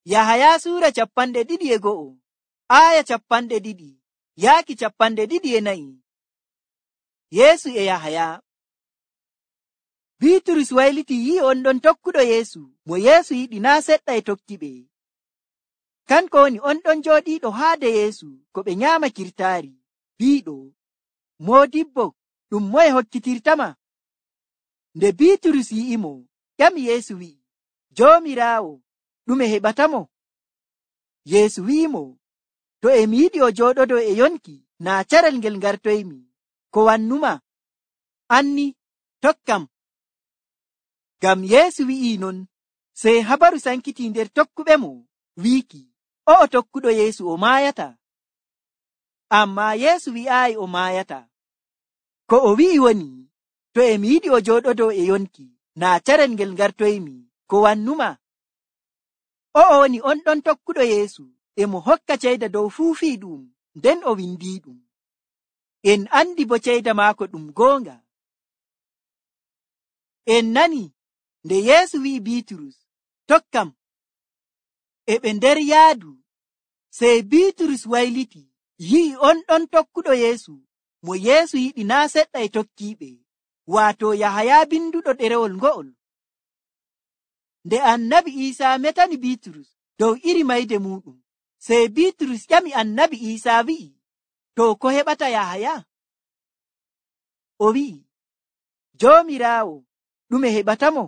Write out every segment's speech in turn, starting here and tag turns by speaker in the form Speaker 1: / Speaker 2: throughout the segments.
Speaker 1: Yahaya suura 21 aya 20 yaaki 24. Yeesu e Yahaya. Biiturus wayliti yi'i on ɗon tokkuɗo Yeesu mo Yeesu yiɗi naa seɗɗa e tokkiɓe. Kanko woni on ɗon jooɗiiɗo haade Yeesu ko ɓe nyaama kirtaari, biiɗo, moodibbo, ɗum moye hokkitirtama? Nde Biiturus yi'imo, ƴami Yeesu wi'i, Joomiraawo, ɗume heɓatamo? Yeesu wi'imo, to e mi yiɗi o jooɗodo e yonki, naa carel ngel ngartoymi, ko wannuma? Anni, tokkam. Ngam Yeesu wi'i non, sey habaru sankiti nder tokkuɓemo, wiiki, o'o tokkuɗo Yeesu o maayata. Ammaa Yeesu wi'aayi o maayata. Ko o wi'i woni, to e mi yiɗi o jooɗodo e yonki, naa carel ngel ngartoymi, ko wannuma? O'o woni on ɗon tokkuɗo Yeesu, e mo hokka ceyda dow fuu fii ɗum, nden o windiiɗum. En andi bo ceyda maako ɗum goonga. En nani nde Yeesu wi'i Biiturus, tokkam. E ɓe nder yaadu, sey Biiturus wayliti, yi'i on ɗon tokkuɗo Yeesu, mo Yeesu yiɗi naa seɗɗa e tokkiiɓe, waato Yahaya binduɗo ɗerewol ngo'ol. Nde Annabi Iisaa metani Biiturus dow iri mayde muɗum, sey Biiturus ƴami Annabi Iisaa wi'i, to ko heɓata Yahaya? O wi'i, Joomiraawo, ɗume heɓatamo?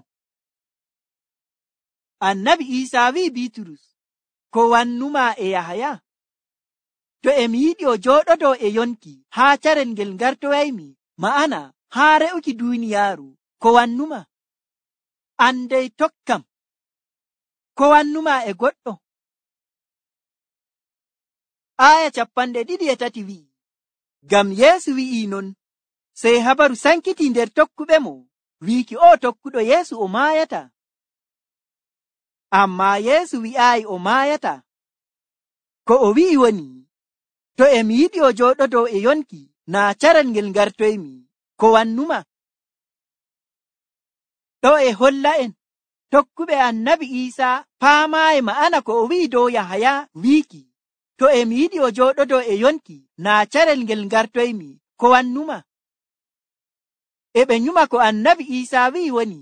Speaker 1: Annabi Iisaa wi'i Biiturus, ko wannuma e Yahaya? To e mi yiɗi o jooɗodo e yonki haa carel ngel ngartoyaymi, ma'ana haa re'uki duuniyaaru, ko wannuma? Andey tokkam. Ko wannuma e goɗɗo? Aya 23 wi'i, ngam Yeesu wi'i non, sey habaru sankiti nder tokkuɓemo, wiiki o tokkuɗo Yeesu o maayata. Ammaa Yeesu wi'aayi o maayata. Ko o wi'i woni, to e mi yiɗi o jooɗodo e yonki, naa carel ngel ngartoymi, ko wannuma? Ɗo e holla en, tokkuɓe Annabi Iisaa paamaayi ma'ana ko o wi'i dow Yahaya wiiki, to e mi yiɗi o jooɗodo e yonki, naa carel ngel ngartoymi, ko wannuma? E ɓe nyuma ko Annabi Iisaa wi'i woni,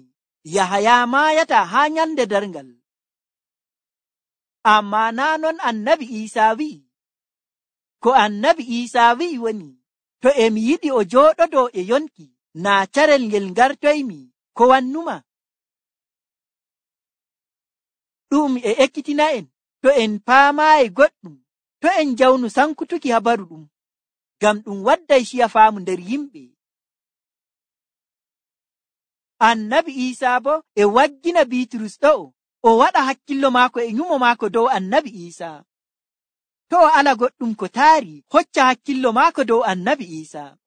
Speaker 1: Yahaya maayata haa nyalnde darngal. Ammaa naa non Annabi Iisaa wi'i. Ko Annabi Iisaa wi'i woni, to e mi yiɗi o jooɗodo e yonki, naa carel ngel ngartoymi, ko wannuma? Ɗum e ekkitina en, to en paamaayi goɗɗum, to en jawnu sankutuki habaru ɗum, ngam ɗum wadday ciya faamu nder yimɓe. Annabi Iisaa bo e waggina Biiturus ɗo'o, o waɗa hakkillo maako e nyumo maako dow Annabi Iisaa. To o ala goɗɗum ko taari, hocca hakkillo maako dow Annabi Iisaa.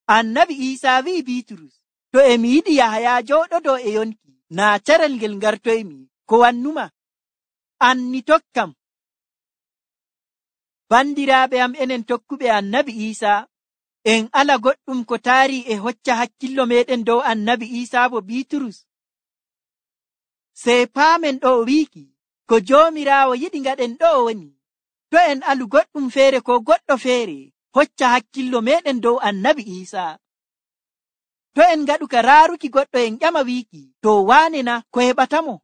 Speaker 1: Annabi Iisaa wi'i Biiturus, to e mi yiɗi Yahaya jooɗodo e yonki, naa carel ngel ngartoymi, ko wannuma? Anni tokkam. Bandiraaɓe am enen tokkuɓe Annabi Iisaa, en ala goɗɗum ko taari e hocca hakkillo meɗen dow Annabi Iisaa bo Biiturus. Sey paamen ɗo o wiiki, ko Joomiraawo yiɗi ngaɗen ɗo woni, to en alu goɗɗum feere ko goɗɗo feere, hocca hakkillo meɗen dow Annabi Iisaa. To en ngaɗu ka raaruki goɗɗo en ƴama wiiki, to waane na ko heɓatamo?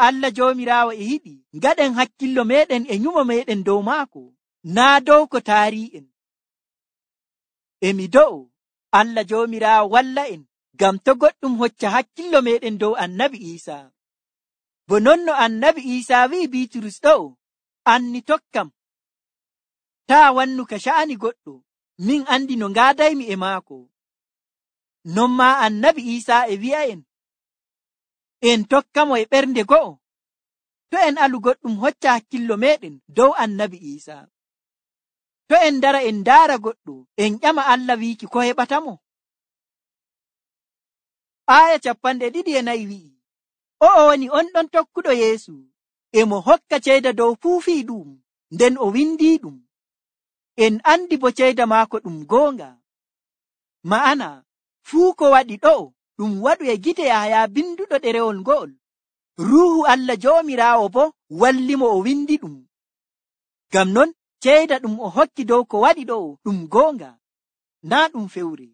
Speaker 1: Allah Joomiraawo e yiɗi ngaɗen hakkillo meɗen e nyumo meɗen dow maako, naa dow ko taari'en. Emi do'o Allah Joomiraawo walla en, ngam to goɗɗum hocca hakkillo meɗen dow Annabi Iisaa. Bo non no Annabi Iisaa wi'i Biiturus ɗo'o, anni tokkam. Taa wannu ka sha'ani goɗɗo, min andi no ngaadaymi e maako. Non maa Annabi Iisaa e wi'a en tokkamo e ɓernde go'o, to en alu goɗɗum hocca hakkillo meɗen dow Annabi Iisaa. To en ndara en ndaara goɗɗo, en ƴama Allah wiiki ko heɓatamo? Aya 24 wi'i, o'o woni on ɗon tokkuɗo Yeesu, e mo hokka ceyda dow fuu fii ɗum, nden o windii ɗum. En andi bo ceyda maako ɗum goonga. Ma'ana, fuu ko waɗi ɗo'o ɗum waɗu e gite Yahaya binduɗo ɗerewol ngo'ol, Ruuhu Allah Joomiraawo bo wallimo o windi ɗum. Ngam non ceyda ɗum o hokki dow ko waɗi ɗo ɗum goonga, naa ɗum fewre.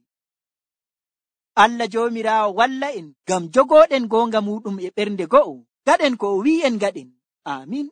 Speaker 1: Allah Joomiraawo walla en ngam jogooɗen goonga muɗum e ɓernde go'o. Gaɗen ko o wi'en gaɗen. Aamin.